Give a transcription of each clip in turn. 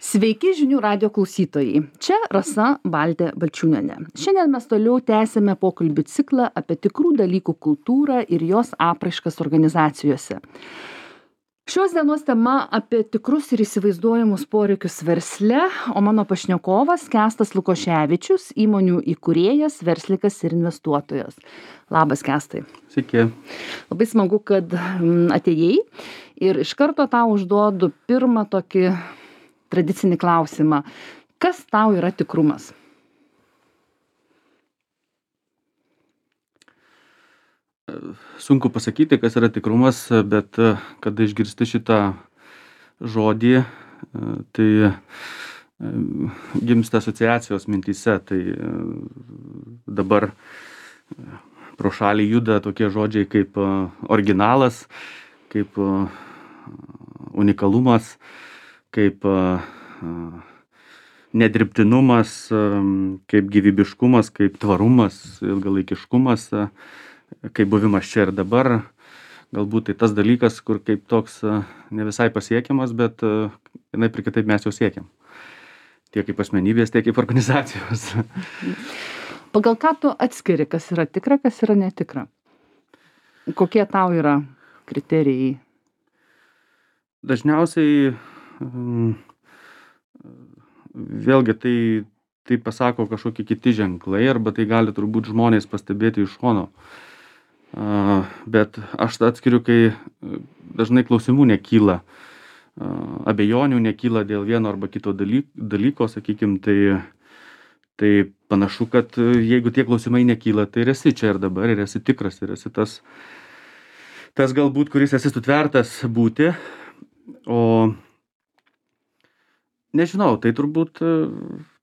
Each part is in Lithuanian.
Sveiki žinių radio klausytojai. Čia Rasa Baltė Balčiūnienė. Šiandien mes toliau tęsime pokalbių ciklą apie tikrų dalykų kultūrą ir jos apraiškas organizacijose. Šios dienos tema apie tikrus ir įsivaizduojamus poreikius versle, o mano pašnekovas Kęstas Lukoševičius, įmonių įkūrėjas, verslininkas ir investuotojas. Labas, Kęstai. Sveiki. Labai smagu, kad atėjai ir iš karto tau užduodu pirmą tokį tradicinį klausimą. Kas tau yra tikrumas? Sunku pasakyti, kas yra tikrumas, bet kada išgirsti šitą žodį, tai gimsta asociacijos mintyse. Tai dabar pro šalį juda tokie žodžiai kaip originalas, kaip unikalumas, kaip nedirbtinumas, kaip gyvybiškumas, kaip tvarumas, ilgalaikiškumas, kaip buvimas čia ir dabar. Galbūt tai tas dalykas, kur kaip toks ne visai pasiekiamas, bet vienaip ir kitaip mes jau siekiam. Tiek kaip asmenybės, tiek kaip organizacijos. Pagal ką tu atskiri, kas yra tikra, kas yra netikra? Kokie tau yra kriterijai? Dažniausiai vėlgi tai pasako kažkokie kiti ženklai, arba tai gali turbūt žmonės pastebėti iš šono. Bet aš atskiriu, kai dažnai klausimų nekyla, abejonių nekyla dėl vieno arba kito dalyko, sakykim, tai panašu, kad jeigu tie klausimai nekyla, tai ir esi čia ir dabar, ir esi tikras, ir esi tas galbūt, kuris esi sutvertas būti. O nežinau, tai turbūt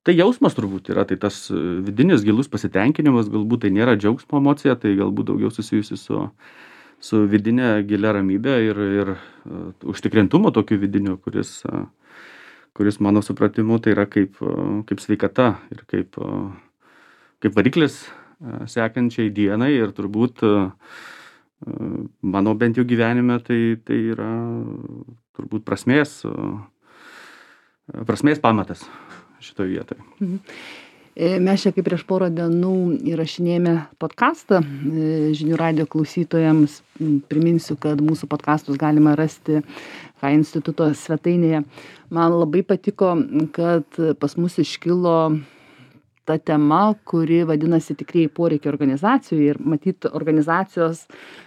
tai jausmas turbūt yra, tai tas vidinis gilus pasitenkinimas, galbūt tai nėra džiaugsmo emocija, tai galbūt daugiau susijusi su vidinė gilia ramybė ir užtikrintumo tokiu vidiniu, kuris mano supratimu tai yra kaip sveikata ir kaip variklis sekančiai dienai, ir turbūt mano bent jau gyvenime tai yra turbūt prasmės pamatas šitoje vietoje. Mes čia kaip prieš porą dienų įrašinėjame podcastą žinių radio klausytojams. Priminsiu, kad mūsų podcastus galima rasti HI instituto svetainėje. Man labai patiko, kad pas mus iškilo ta tema, kuri vadinasi tikrieji poreikiai organizacijoje, ir matyt organizacijos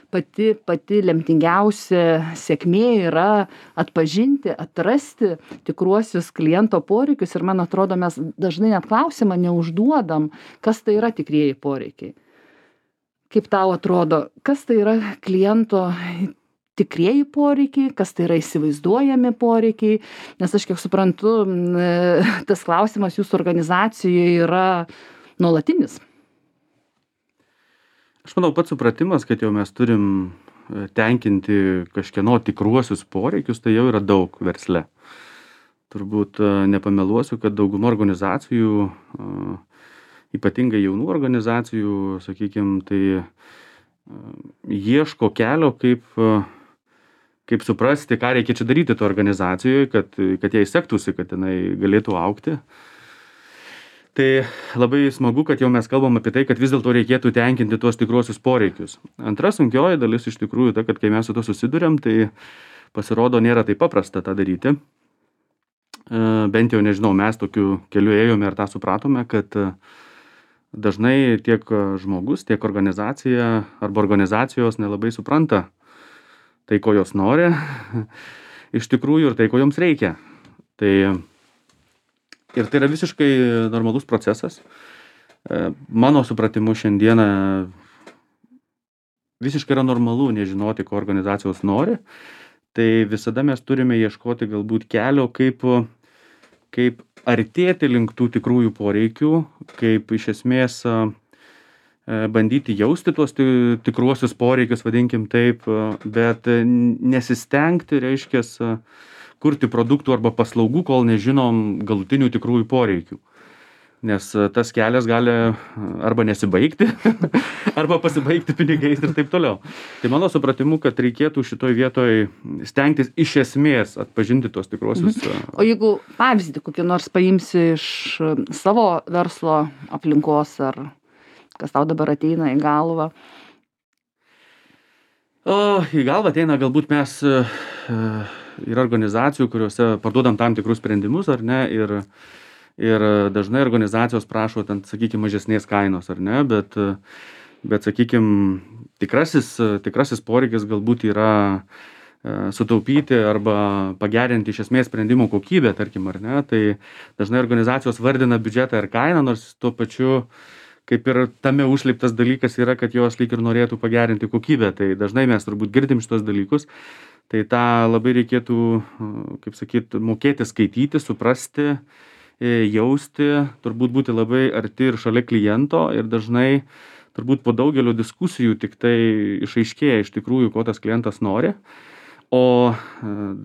pati lemtingiausia sėkmė yra atpažinti, atrasti tikruosius kliento poreikius, ir man atrodo, mes dažnai net klausimą neužduodam, kas tai yra tikrieji poreikiai. Kaip tau atrodo, kas tai yra kliento tikrieji poreikiai, kas tai yra įsivaizduojami poreikiai, nes aš kiek suprantu, tas klausimas jūsų organizacijoje yra nuolatinis. Aš manau, pats supratimas, kad jau mes turim tenkinti kažkieno tikruosius poreikius, tai jau yra daug versle. Turbūt nepameluosiu, kad dauguma organizacijų, ypatingai jaunų organizacijų, sakykime, tai ieško kelio, kaip suprasti, ką reikia čia daryti to organizacijoje, kad jai sektųsi, kad jinai galėtų augti. Tai labai smagu, kad jau mes kalbam apie tai, kad vis dėlto reikėtų tenkinti tuos tikruosius poreikius. Antra sunkioji dalis iš tikrųjų ta, kad kai mes su to susiduriam, tai pasirodo nėra taip paprasta tą daryti. Bent jau nežinau, mes tokiu keliu ėjome ir tą supratome, kad dažnai tiek žmogus, tiek organizacija arba organizacijos nelabai supranta tai, ko jos nori iš tikrųjų, ir tai, ko joms reikia. Ir tai yra visiškai normalus procesas. Mano supratimu šiandieną visiškai yra normalu nežinoti, ko organizacijos nori. Tai visada mes turime ieškoti galbūt kelio, kaip artėti link tų tikrųjų poreikių, kaip iš esmės bandyti jausti tuos tikruosius poreikius, vadinkim taip, bet nesistengti, reiškias, kurti produktų arba paslaugų, kol nežinom galutinių tikrųjų poreikių. nes tas kelias gali arba nesibaigti, arba pasibaigti pinigais ir taip toliau. Tai mano supratimu, kad reikėtų šitoj vietoj stengtis iš esmės atpažinti tuos tikruosius. O jeigu pavyzdį kokį nors paimsi iš savo verslo aplinkos, ar kas tau dabar ateina į galvą? Į galvą ateina galbūt mes yra organizacijų, kuriuose parduodam tam tikrus sprendimus, ar ne, ir dažnai organizacijos prašo ten, sakykime, mažesnės kainos, ar ne, bet sakykime, tikrasis poreikis galbūt yra sutaupyti arba pagerinti iš esmės sprendimo kokybę, tarkim, ar ne, tai dažnai organizacijos vardina biudžetą ir kainą, nors tuo pačiu kaip ir tame užslėptas dalykas yra, kad jos lyg ir norėtų pagerinti kokybę, tai dažnai mes turbūt girdim šitos dalykus, tai tą labai reikėtų, kaip sakyt, mokėti skaityti, suprasti, jausti, turbūt būti labai arti ir šalia kliento ir dažnai turbūt po daugelio diskusijų tik tai išaiškėja iš tikrųjų, ko tas klientas nori, o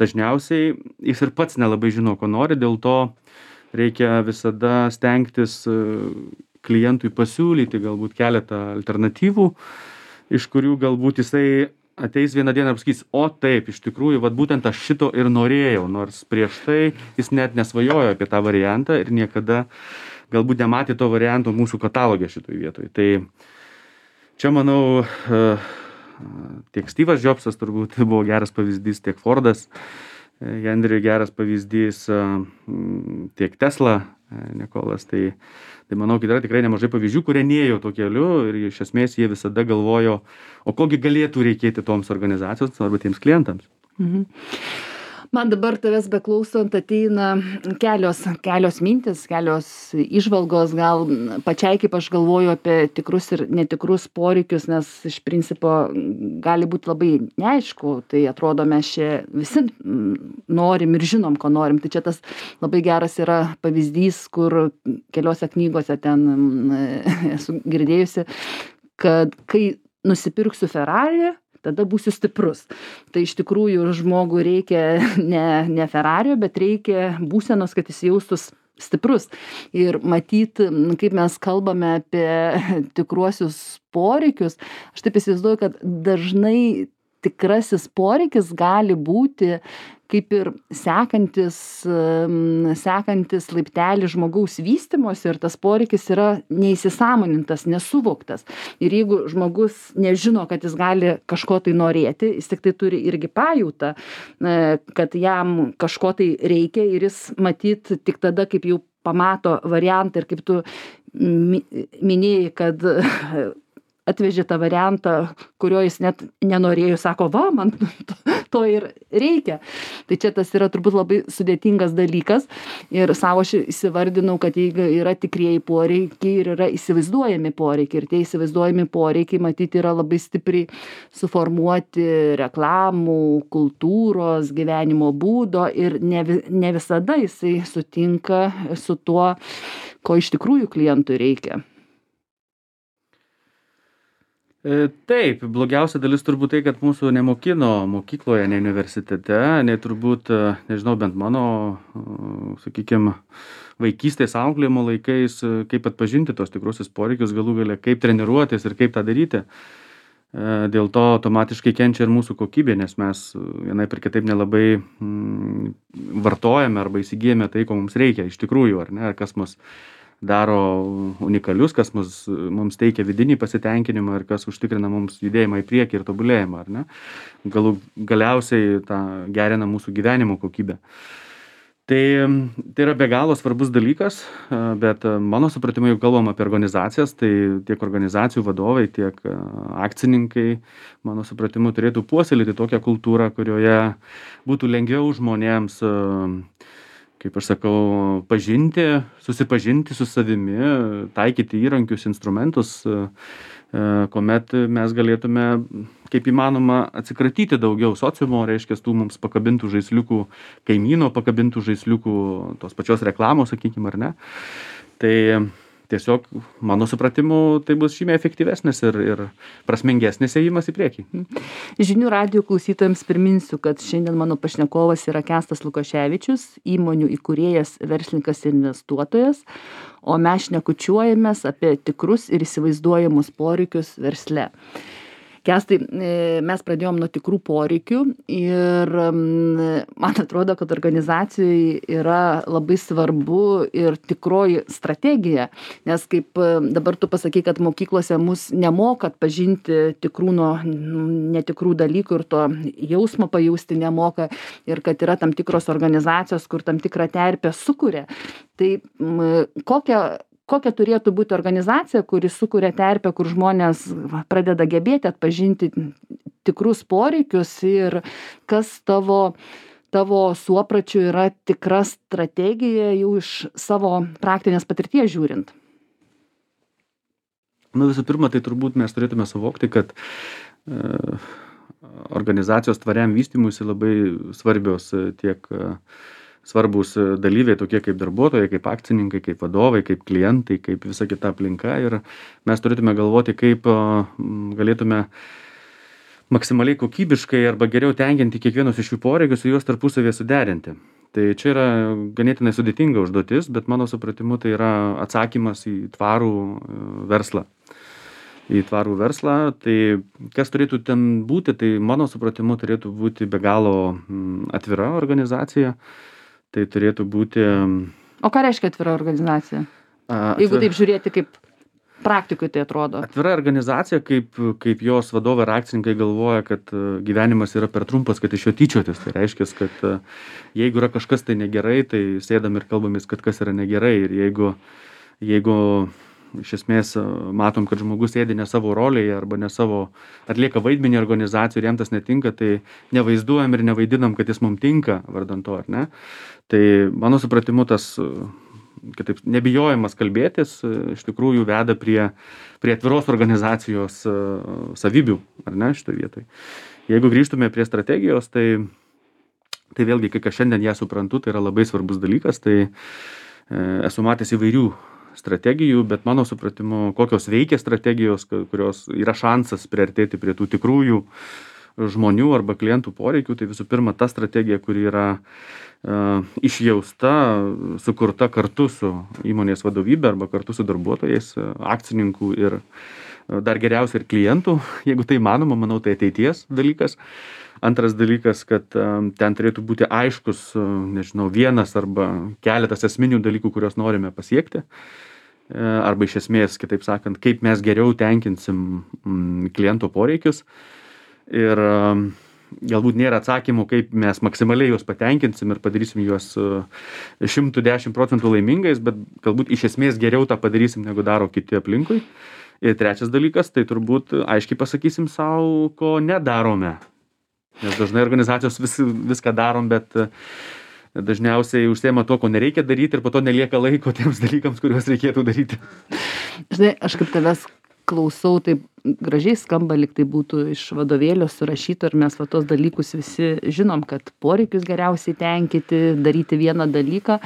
dažniausiai jis ir pats nelabai žino, ko nori, dėl to reikia visada stengtis klientui pasiūlyti galbūt keletą alternatyvų, iš kurių galbūt jisai ateis vieną dieną ir pasakys, o taip, iš tikrųjų, vat būtent aš šito ir norėjau, nors prieš tai jis net nesvajojo apie tą variantą ir niekada galbūt nematė to varianto mūsų katalogė šitoj vietoj. Tai čia, manau, tiek Steve'as Jobsas turbūt buvo geras pavyzdys, tiek Fordas, Henry geras pavyzdys, tiek Tesla, Nikolas, tai manau, kad yra tikrai nemažai pavyzdžių, kurie nėjo to keliu ir iš esmės jie visada galvojo, o kogi galėtų reikėti toms organizacijos arba tiems klientams. Man dabar tavęs beklausant ateina kelios mintis, kelios įžvalgos, gal pačiai kaip aš galvoju apie tikrus ir netikrus poreikius, nes iš principo gali būti labai neaišku, tai atrodo mes čia visi norim ir žinom, ko norim. Tai čia tas labai geras yra pavyzdys, kur keliose knygose ten esu girdėjusi, kad kai nusipirksiu Ferrari, tada būsiu stiprus. Tai iš tikrųjų žmogui reikia ne Ferrario, bet reikia būsenos, kad jis jaustus stiprus. Ir matyt, kaip mes kalbame apie tikruosius poreikius, aš taip įsivaizduoju, kad dažnai tikrasis poreikis gali būti kaip ir sekantis laiptelį žmogaus vystymosi ir tas poreikis yra neįsisąmonintas, nesuvoktas. Ir jeigu žmogus nežino, kad jis gali kažko tai norėti, jis tik tai turi irgi pajautą, kad jam kažko tai reikia ir jis matyt tik tada, kaip jau pamato variantą ir kaip tu minėjai, kad atvežė tą variantą, kurio jis net nenorėjo, sako, va, man to ir reikia. Tai čia tas yra turbūt labai sudėtingas dalykas ir savo aš įsivardinau, kad jeigu yra tikrieji poreikiai ir yra įsivaizduojami poreikiai ir tie įsivaizduojami poreikiai matyti yra labai stipriai suformuoti reklamų, kultūros, gyvenimo būdo ir ne visada jisai sutinka su tuo, ko iš tikrųjų klientui reikia. Taip, blogiausia dalis turbūt tai, kad mūsų nemokino mokykloje, ne universitete, ne turbūt, nežinau, bent mano, sakykime, vaikystės auklėjimo laikais, kaip atpažinti tos tikruosius poreikius, galų gale, kaip treniruotis ir kaip tą daryti. Dėl to automatiškai kenčia ir mūsų kokybė, nes mes vienaip ir kitaip nelabai vartojame arba įsigijame tai, ko mums reikia iš tikrųjų, ar ne, kas mus daro unikalius, kas mums teikia vidinį pasitenkinimą ir kas užtikrina mums judėjimą į priekį ir tobulėjimą, ar ne? Galiausiai tą gerina mūsų gyvenimo kokybę. Tai yra be galo svarbus dalykas, bet mano supratimu, jeigu kalbam apie organizacijas, tai tiek organizacijų vadovai, tiek akcininkai, mano supratimu, turėtų puoselėti tokią kultūrą, kurioje būtų lengviau žmonėms, kaip aš sakau, susipažinti su savimi, taikyti įrankius, instrumentus, kuomet mes galėtume, kaip įmanoma, atsikratyti daugiau sociumo, reiškia, tų mums pakabintų žaisliukų, kaimyno pakabintų žaisliukų, tos pačios reklamos, sakykime, ar ne. Tai tiesiog mano supratimu tai bus žymiai efektyvesnis ir prasmingesnis ėjimas į priekį. Žinių radijo klausytojams priminsiu, kad šiandien mano pašnekovas yra Kęstas Lukoševičius, įmonių įkūrėjas, verslininkas ir investuotojas, o mes šnekučiuojamės apie tikrus ir įsivaizduojamus poreikius versle. Kęstai, mes pradėjom nuo tikrų poreikių ir man atrodo, kad organizacijai yra labai svarbu ir tikroji strategija, nes kaip dabar tu pasakai, kad mokyklose mus nemoko atpažinti tikrų nuo netikrų dalykų ir to jausmo pajausti nemoka ir kad yra tam tikros organizacijos, kur tam tikrą terpę sukuria. Tai kokia turėtų būti organizacija, kuri sukuria terpę, kur žmonės pradeda gebėti atpažinti tikrus poreikius ir kas tavo suopračiu yra tikra strategija jau iš savo praktinės patirties žiūrint? Visų pirma, tai turbūt mes turėtume suvokti, kad organizacijos tvariam vystymuisi labai svarbios tiek svarbus dalyviai, tokie kaip darbuotojai, kaip akcininkai, kaip vadovai, kaip klientai, kaip visa kita aplinka. Ir mes turėtume galvoti, kaip galėtume maksimaliai kokybiškai arba geriau tenkinti kiekvienus iš jų poreikius ir juos tarpusavėje suderinti. Tai čia yra ganėtinai sudėtinga užduotis, bet mano supratimu tai yra atsakymas į tvarų verslą. Tai kas turėtų ten būti, tai mano supratimu turėtų būti be galo atvira organizacija. Tai turėtų būti... O ką reiškia atvira organizacija? Jeigu taip žiūrėti, kaip praktikui tai atrodo. Atvira organizacija, kaip jos vadovai ir akcininkai galvoja, kad gyvenimas yra per trumpas, kad iš jo tyčiotis. Tai reiškia, kad jeigu yra kažkas tai negerai, tai sėdam ir kalbamės, kad kas yra negerai. Ir jeigu iš esmės matom, kad žmogus sėdi ne savo rolėje arba ne savo atlieka vaidmenį organizacijų ir jam tas netinka, tai nevaizduojam ir nevaidinam, kad jis mums tinka vardan to, ar ne? Tai mano supratimu tas, kitaip, nebijojimas kalbėtis iš tikrųjų veda prie atviros organizacijos savybių, ar ne, šitoje vietoje. Jeigu grįžtume prie strategijos, tai vėlgi, kai šiandien ją suprantu, tai yra labai svarbus dalykas, tai esu matęs įvairių strategijų, bet mano supratimu, kokios veikia strategijos, kurios yra šansas priartėti prie tų tikrųjų žmonių arba klientų poreikių, tai visų pirma ta strategija, kuri yra išjausta, sukurta kartu su įmonės vadovybė arba kartu su darbuotojais, akcininkų ir dar geriausia ir klientų, jeigu tai manoma, manau, tai ateities dalykas. Antras dalykas, kad ten turėtų būti aiškus, nežinau, vienas arba keletas esminių dalykų, kuriuos norime pasiekti. Arba iš esmės, kitaip sakant, kaip mes geriau tenkinsim kliento poreikius. Ir galbūt nėra atsakymų, kaip mes maksimaliai juos patenkinsim ir padarysim juos 110% laimingais, bet galbūt iš esmės geriau tą padarysim, negu daro kiti aplinkui. Ir trečias dalykas, tai turbūt aiškiai pasakysim savo, ko nedarome. Nes dažnai organizacijos viską darom, bet dažniausiai užsiema to, ko nereikia daryti ir po to nelieka laiko tiems dalykams, kuriuos reikėtų daryti. Žinai, aš kaip tavęs klausau, taip gražiai skamba, lyg tai būtų iš vadovėlio surašyta ir mes tos dalykus visi žinom, kad poreikius geriausiai tenkinti, daryti vieną dalyką,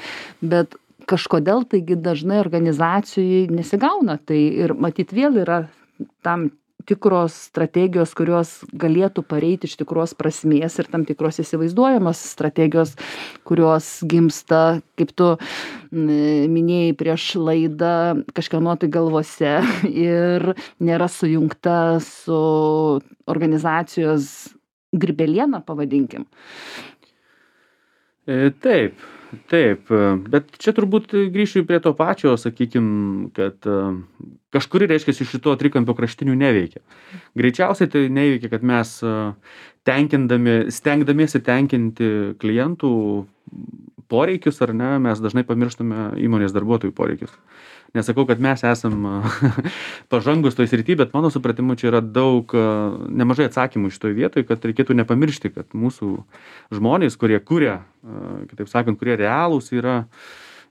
bet kažkodėl taigi dažnai organizacijai nesigauna. Tai ir matyt vėl yra tam tikros strategijos, kurios galėtų pareiti iš tikros prasmės ir tam tikros įsivaizduojamos strategijos, kurios gimsta, kaip tu minėjai prieš laidą, kažkieno tai galvose ir nėra sujungta su organizacijos grybeliena, pavadinkim. Taip, bet čia turbūt grįšiu prie to pačio, sakykim, kad kažkuri, reiškia, iš šito trikampio kraštinių neveikia. Greičiausiai tai neveikia, kad mes stengdamiesi tenkinti klientų poreikius, ar ne, mes dažnai pamirštame įmonės darbuotojų poreikius. Nesakau, kad mes esam pažangus toj srity, bet mano supratimu čia yra nemažai atsakymų šitoj vietoj, kad reikėtų nepamiršti, kad mūsų žmonės, kurie kuria, kitaip sakant, kurie realūs yra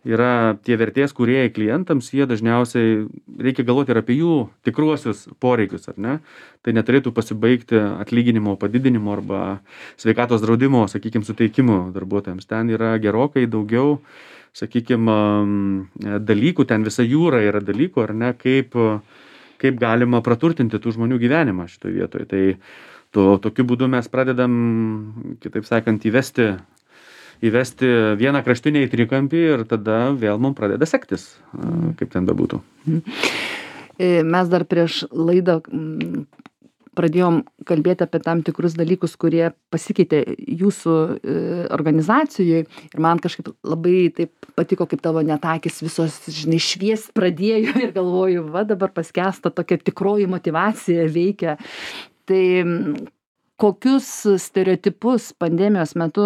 yra tie vertės kūrėjai klientams, jie dažniausiai reikia galvoti ir apie jų tikruosius poreikius, ar ne? Tai neturėtų pasibaigti atlyginimo padidinimo arba sveikatos draudimo, sakykime, suteikimu darbuotojams. Ten yra gerokai daugiau, sakykime, dalykų, ten visa jūra yra dalykų, ar ne, kaip galima praturtinti tų žmonių gyvenimą šitoje vietoje. Tai tokiu būdu mes pradedam, kitaip sakant, įvesti vieną kraštinę į trikampį ir tada vėl mums pradeda sektis, kaip ten bebūtų. Mes dar prieš laidą pradėjom kalbėti apie tam tikrus dalykus, kurie pasikeitė jūsų organizacijoje ir man kažkaip labai taip patiko, kaip tavo net akys visos, žinai, šviest pradėjo ir galvoju, va dabar paskęsta tokia tikroji motyvacija veikia. Tai kokius stereotipus pandemijos metu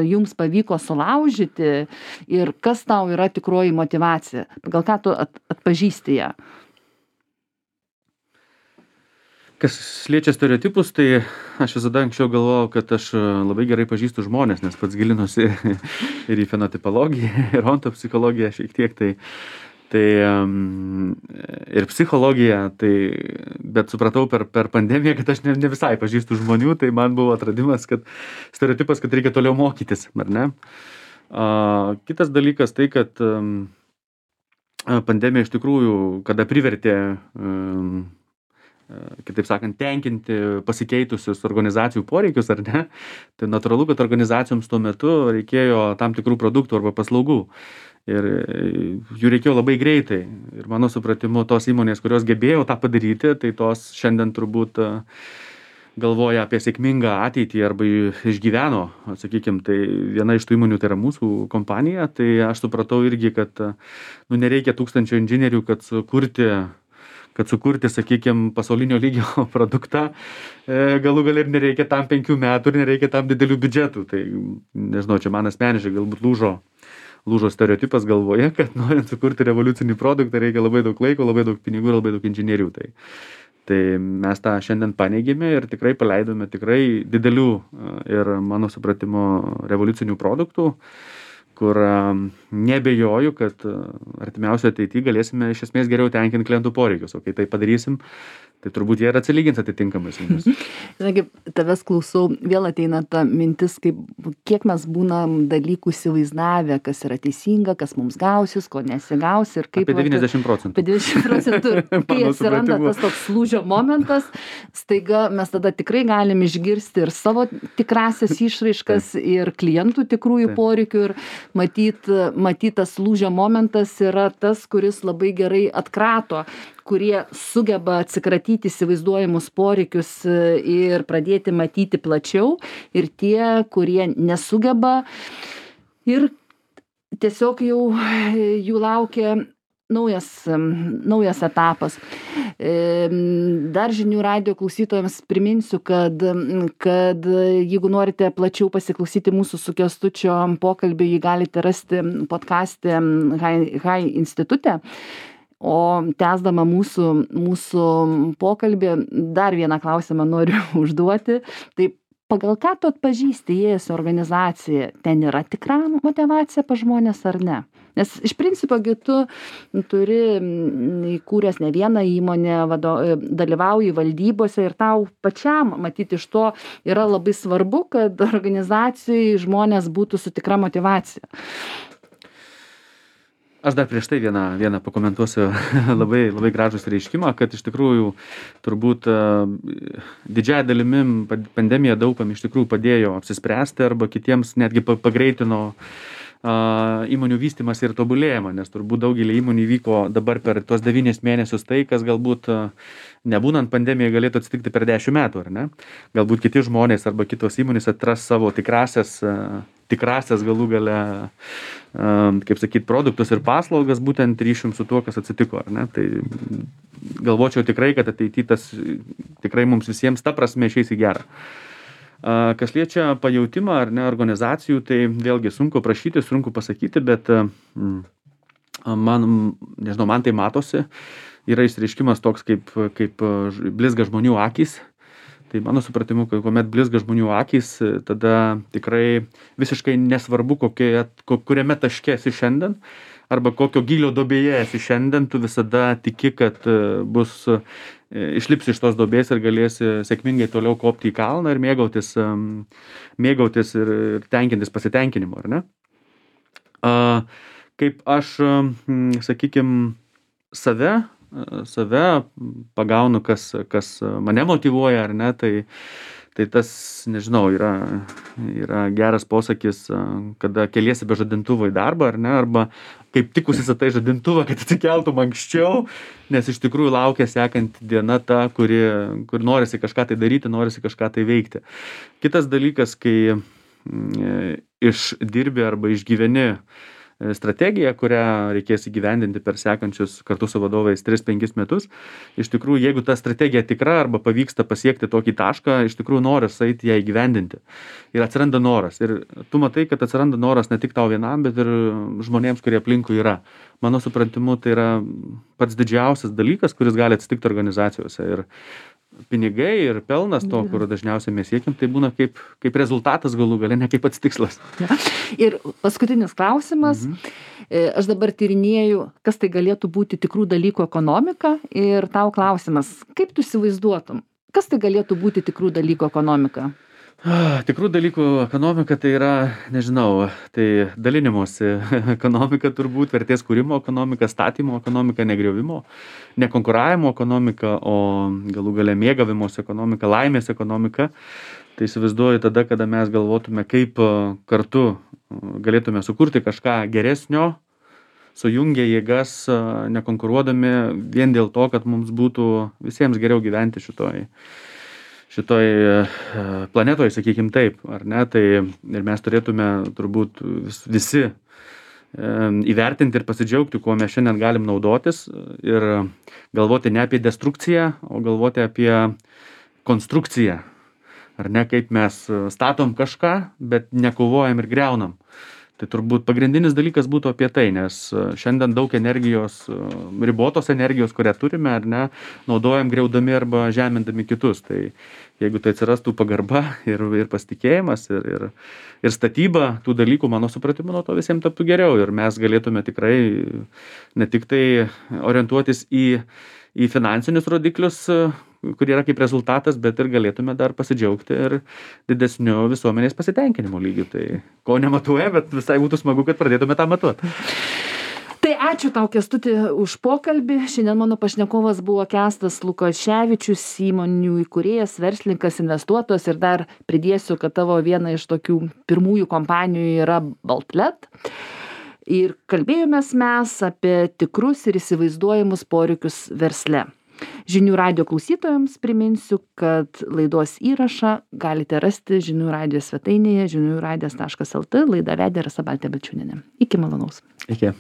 jums pavyko sulaužyti ir kas tau yra tikroji motyvacija? Pagal ką tu atpažįsti ją? Kas liečia stereotipus, tai aš visada anksčiau galvojau, kad aš labai gerai pažįstu žmonės, nes pats gilinuosi ir į fenotipologiją, ir ontopsichologiją šiek tiek, tai ir psichologiją, bet supratau per pandemiją, kad aš ne visai pažįstu žmonių, tai man buvo atradimas, kad stereotipas, kad reikia toliau mokytis, ar ne? Kitas dalykas tai, kad pandemija iš tikrųjų, kada privertė, kitaip sakant, tenkinti pasikeitusius organizacijų poreikius, ar ne, tai natūralu, kad organizacijoms tuo metu reikėjo tam tikrų produktų arba paslaugų. Ir jų reikėjo labai greitai. Ir mano supratimu, tos įmonės, kurios gebėjo tą padaryti, tai tos šiandien turbūt galvoja apie sėkmingą ateitį arba išgyveno, sakykime, tai viena iš tų įmonių tai yra mūsų kompanija, tai aš supratau irgi, kad nereikia 1000 inžinierių, kad sukurti, sakykime, pasaulinio lygio produktą, galų gal ir nereikia tam 5 metų ir nereikia tam didelių biudžetų. Tai, nežinau, čia man asmeniškai galbūt lūžo stereotipas galvoje, kad norint sukurti revoliucinį produktą reikia labai daug laiko, labai daug pinigų ir labai daug inžinierių. Tai mes tą šiandien paneigėme ir tikrai paleidome tikrai didelių ir mano supratimo revoliucinių produktų, kur nebejoju, kad artimiausioje ateityje galėsime iš esmės geriau tenkinti klientų poreikius. O kai tai padarysim, tai turbūt jie ir atsilygins atitinkamai su mumis. Žinai, tavęs klausau, vėl ateina ta mintis, kiek mes būnam dalykų įsivaizdavę, kas yra teisinga, kas mums gausis, ko nesigaus ir kaip... Apie 90%. Apie 90%. Kai atsiranda tas toks lūžio momentas, staiga mes tada tikrai galim išgirsti ir savo tikrasias išraiškas ir klientų tikrųjų poreikių ir matyt tas lūžio momentas yra tas, kuris labai gerai atkrato, kurie sugeba atsikratyti įsivaizduojamus poreikius ir pradėti matyti plačiau ir tie, kurie nesugeba ir tiesiog jau jų laukia naujas etapas. Dar žinių radijo klausytojams priminsiu, kad jeigu norite plačiau pasiklausyti mūsų su Kęstučio pokalbį, jį galite rasti podcaste Hai institute. O tęsdama mūsų pokalbį, dar vieną klausimą noriu užduoti. Tai pagal ką tu atpažįsti įėjęs į organizaciją? Ten yra tikra motyvacija pas žmonės ar ne? Nes iš principo tu turi įkūręs ne vieną įmonę, dalyvauji valdybose ir tau pačiam, matyti, iš to yra labai svarbu, kad organizacijai žmonės būtų su tikra motyvacija. Aš dar prieš tai vieną pakomentuosiu labai gražus reiškimą, kad iš tikrųjų turbūt didžiąją dalimi pandemija daugam iš tikrųjų padėjo apsispręsti arba kitiems netgi pagreitino įmonių vystymas ir tobulėjimą, nes turbūt daugelį įmonių vyko dabar per tuos 9 mėnesius tai, kas galbūt nebūnant pandemijai galėtų atsitikti per 10 metų, ar ne? Galbūt kiti žmonės arba kitos įmonės atras savo tikrasias galų gale, kaip sakyt, produktus ir paslaugas būtent ryšium su tuo, kas atsitiko, ar ne? Tai galvočiau tikrai, kad ateityje tas tikrai mums visiems ta prasme išeis į gerą. Kas liečia pajautimą ar ne organizacijų, tai vėlgi sunku prašyti, sunku pasakyti, bet man tai matosi, yra išreiškimas toks kaip blizga žmonių akys, Tai mano supratimu, kuomet blizga žmonių akys, tada tikrai visiškai nesvarbu, kuriame taške esi šiandien, arba kokio gylio duobėje esi šiandien, tu visada tiki, kad išlipsi iš tos duobės ir galėsi sėkmingai toliau kopti į kalną ir mėgautis ir tenkintis pasitenkinimu, ar ne? Kaip aš, sakykime, save pagaunu, kas mane motyvuoja, ar ne, tai tas, nežinau, yra geras posakis, kada keliesi be žadintuvo į darbą, ar ne, arba kaip tik užsisakai žadintuvą, kad atsikeltum anksčiau, nes iš tikrųjų laukia sekanti diena ta, kur norisi kažką tai daryti, norisi kažką tai veikti. Kitas dalykas, kai išdirbi arba išgyveni strategiją, kurią reikės įgyvendinti per sekančius kartu su vadovais 3-5 metus. Iš tikrųjų, jeigu ta strategija tikra arba pavyksta pasiekti tokį tašką, iš tikrųjų noras eiti ją įgyvendinti. Ir atsiranda noras. Ir tu matai, kad atsiranda noras ne tik tau vienam, bet ir žmonėms, kurie aplinkui yra. Mano supratimu, tai yra pats didžiausias dalykas, kuris gali atsitikti organizacijose. Ir pinigai ir pelnas to, kur dažniausiai mes siekiam, tai būna kaip rezultatas galų gale, ne kaip pats tikslas. Ja. Ir paskutinis klausimas. Aš dabar tyrinėju, kas tai galėtų būti tikrų dalykų ekonomika, ir tau klausimas, kaip tu įsivaizduotum, kas tai galėtų būti tikrų dalykų ekonomika? Tikrų dalykų ekonomika tai yra, nežinau, tai dalinimosi ekonomika turbūt, vertės kūrimo ekonomika, statymo ekonomika, negriovimo, nekonkuravimo ekonomika, o galų gale mėgavimosi ekonomika, laimės ekonomika. Tai įsivaizduoju tada, kada mes galvotume, kaip kartu galėtume sukurti kažką geresnio, sujungę jėgas, nekonkuruodami vien dėl to, kad mums būtų visiems geriau gyventi šitoj planetoje, sakykim taip, ar ne, tai ir mes turėtume turbūt visi įvertinti ir pasidžiaugti, kuo mes šiandien galim naudotis ir galvoti ne apie destrukciją, o galvoti apie konstrukciją, ar ne, kaip mes statom kažką, bet nekovojam ir greunam. Tai turbūt pagrindinis dalykas būtų apie tai, nes šiandien daug energijos, ribotos energijos, kurią turime, ar ne, naudojam griaudami arba žemindami kitus. Tai jeigu tai atsirastų pagarba ir pasitikėjimas ir statyba tų dalykų, mano supratimu, nuo to visiems taptų geriau. Ir mes galėtume tikrai ne tik tai orientuotis į finansinius rodiklius, kurie yra kaip rezultatas, bet ir galėtume dar pasidžiaugti ir didesniu visuomenės pasitenkinimo lygiu. Tai ko nematuoja, bet visai būtų smagu, kad pradėtume tą matuoti. Tai ačiū tau, Kęstuti, už pokalbį. Šiandien mano pašnekovas buvo Kęstas Lukoševičius, įmonių įkūrėjas, verslininkas, investuotojas, ir dar pridėsiu, kad tavo viena iš tokių pirmųjų kompanijų yra Baltlet. Ir kalbėjomės mes apie tikrus ir įsivaizduojamus poreikius versle. Žinių radijo klausytojams priminsiu, kad laidos įrašą galite rasti Žinių radijo svetainėje žiniųradijas.lt. Laidą vedė Rasa Baltė Balčiūnienė. Iki malonaus. Iki.